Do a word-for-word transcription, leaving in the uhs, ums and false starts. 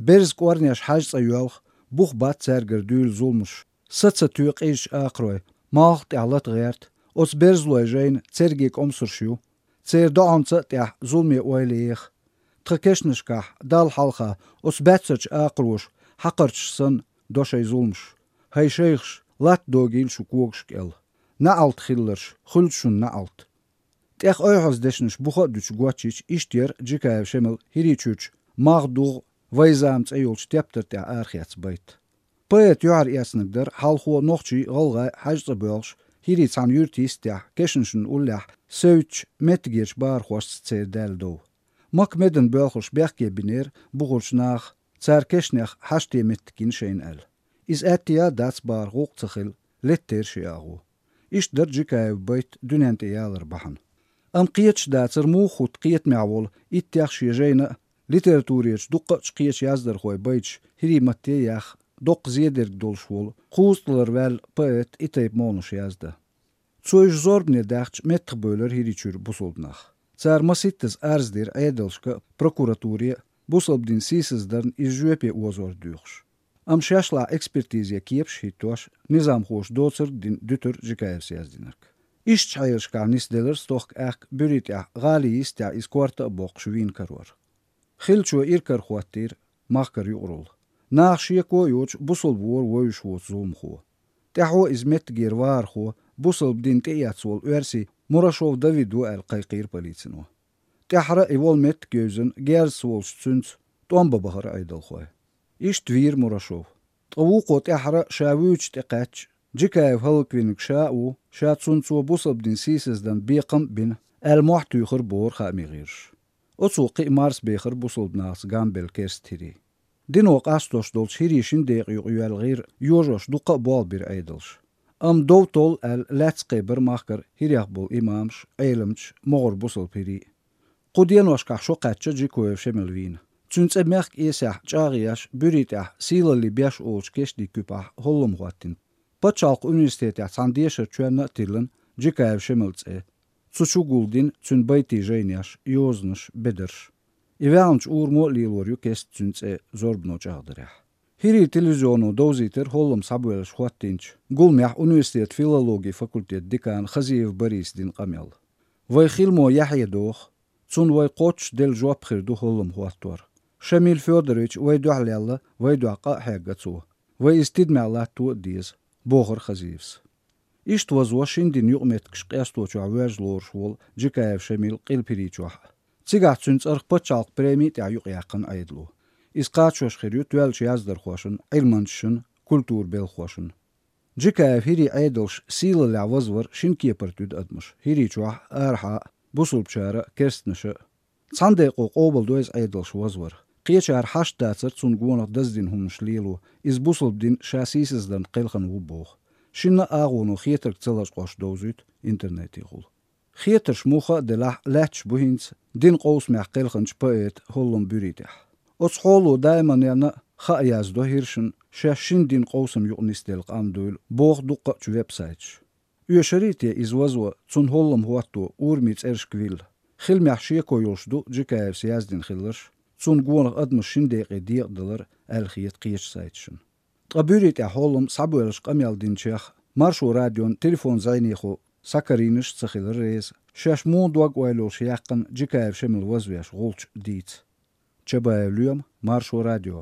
Берза кӀорнеш хьажцӀа йоьлху, бух бац цаьргара дуьйла зуламаш. Са ца тоь къизачу акхарой, малх тӀехь лата гӀерта, оцу берзалой жайна церге кӀомсарш ю. Церан доӀанца а тӀехь зуламе ойла еха. Тхан кешнашкахь Далла хьалха оцу баьццарчу акхароша хьакхарчаш санна до шайн зуламаш. ХӀай шайхаш, латта догийла шун когаш кӀел. НеӀалт хилларш, хуьлда шуна неӀалт. ТӀех ойхьаз дешнаш буха а дуьтуш гочйича, иштта яра Джикаев Шемал ХӀирийчуьрчу «Малх, дугӀу, вайн зама» цӀе йолчу тептар тӀехь арахецна байт. Поэта юьхьар эцнарг дара хьалхо нохчий, гӀалгӀай хьажцӀа боьлхуш, ХӀирий цхьана юьрта йистехь, кешнашна уллехь севцчу меттигерчу бахархошца церан даьлла дов. Макка медан боьлхурш бехке бинера бухарчу наха, цара кешнех хьаште меттиг йина шайна аьлла. Иза аьтту яц бахарх гӀуллакх ца хилла, леттера ши агӀо. Иштта дара Джикаевн байт дуьнен тӀе ялар бахьана. Амма кхеташ дацара муха хӀутту кхетамехь волу иттех шен жайна а, литературерчу дуккха а кхечу яздархойн байташ хӀирийн матте а яьхна, доккха зен дерг долуш волу, кхузткъалара ваьлла поэта и тайпа молханаш яздан. Цо уьш зорбане даьхча, меттахбевлира ХӀирийчуьра бусалба нах. Цара масийттаза арз дира Ӏедалшка а, прокуратуре а, бусалба дин сийсаздарна иза жоьпе озор доьхуш. Амма шаьш лахь экспертизе кепаш а хӀиттош, низамхоша доцург а дина дуьтура Джикаевс яздинарг. Ишттачу хьелашкахь нисделира стохка аьхка Буьри тӀехь, гӀалин йистехь иза корта а боккхуш вийна карор. Хиллачо иракарахӀоттийра махкара юкъаралла. Наха шеко а йоцуш, бусалба вора вевзаш воцу зуламхо. ТӀаьхьо иза меттигера вахархо, бусалба дин тӀеэцна волу оьрси Мурашов Давид ву аьлла кхайкхийра полицино. ТӀаьххьара и волу меттиг евзина, герзаца волчу цуьнца тӀом бан бахара Ӏедалхой. Иштта вийра Мурашов. Ткъа вукхо тӀаьххьара ша вуьйцучу тӀекхаьчча, Джикаев хӀаллаквинарг ша а ву, ша цунна цо бусалба дин сийсаздан бекхам а бина, аьлла мохь туьйхира бохура хаамийн гӀирсаша. Оцо кхин а марсабехира бусалба нахаца гамбелла керста хӀирий. Дино къастош долчу хӀирийн шина декъа юкъа йоьлла гӀира йожош дуккха а болх бира Ӏедалша. Амма дов толлу аьлла, лаьцна кхебира махкара хӀирех болу имамаш, Ӏеламчаш, могӀара бусалба хӀирий а. Кху деношкахь шо кхаьчна Джикаев Шемал вийна. Цуьнан цӀе мехкан эсехь чӀагӀъеш, Буьри тӀехь «Сийлаллин беш» олучу кешнийн куьпахь хӀоллам хӀоттийна. Пачхьалкхан университетехь цхьана дешарчоьнна а тиллина Джикаев Шемалан цӀе. Цу чу гулдина цуьнан байтийн жайнеш, йозанаш, бедарш. И ваьллачу урамо а лелор ю кеста цуьнан цӀе зорбано чӀагӀдарехь. ХӀирийн телевизионо довзийтира хӀоллам схьабоьллуш хӀоттийначу гуламехь университетан филологин факультетан декана Хазиев Бориса дина къамел. Вайн хиламо яхье доху, цунна вай кхоччуш делла жоп хир ду хӀоллам хӀоттор. Шамил Фёдорович вайн дуьхьа лелла, вайн дуьхьа къа а хьегна цо. Вай иза тидамехь латто а деза, бохура Хазиевс. Иштта вазво шина динан юкъаметтигаш къесточохь воьрза лоруш волу Джикаев Шамил Къилба ХӀирийчохь а. Цигахь цуьнан цӀарах пачхьалкхан преми тӀехь юкъаяьккхина Ӏедало. Иза кхачош хир ю тоьллачу яздархошна, Ӏилманчашна, культуран белхахошна. Джикаев хӀирийн Ӏедалш сийлаллехь вазвар шина кепара туьду адамаш, ХӀирийчохь а, арахьа а, бусалбачара а, керстанаша а. Цхьана декъо къобалдо иза Ӏедалш вазвар. Кхечара хьашт дацара цунна гонах даздина хӀуманаш лело, иза бусалба дин ша сийсаздарна кхелхина ву боху. Шинна а агӀоно хетарг ца лачкъош довзуьйту интернетехула. Хетарш муха а делахь, лаьтташ бу хӀинца динан къовсамехь кхелхинчу поэтан хӀоллам Буьри тӀехь. Оцу хьоло даиманна а хаа яздо хӀиршна, шаьш шина динан къовсам юкъа нисделла къам дуйла, боху дуккха а чу веб-сайташ. Оьшурий те иза вазво, цунна хӀоллам хӀотто, урамийн цӀерашка вилла? Хиламехь шеко йолуш ду Джикаевс яздина хилларш, цунна гонах адамаш шина декъе декъадалар аьлла хета кхечу сайташна. Ткъа Буьри тӀехь хӀоллам схьабоьллуш къамел динчех Маршо радион телефон-зӀенехула схьакарийнарш а ца хилира реза, шаьш муха дог-ойла йолуш яьккхина Джикаев Шемал вазвеш гӀулч дийца. Чабаев Лоьма, Маршо радио.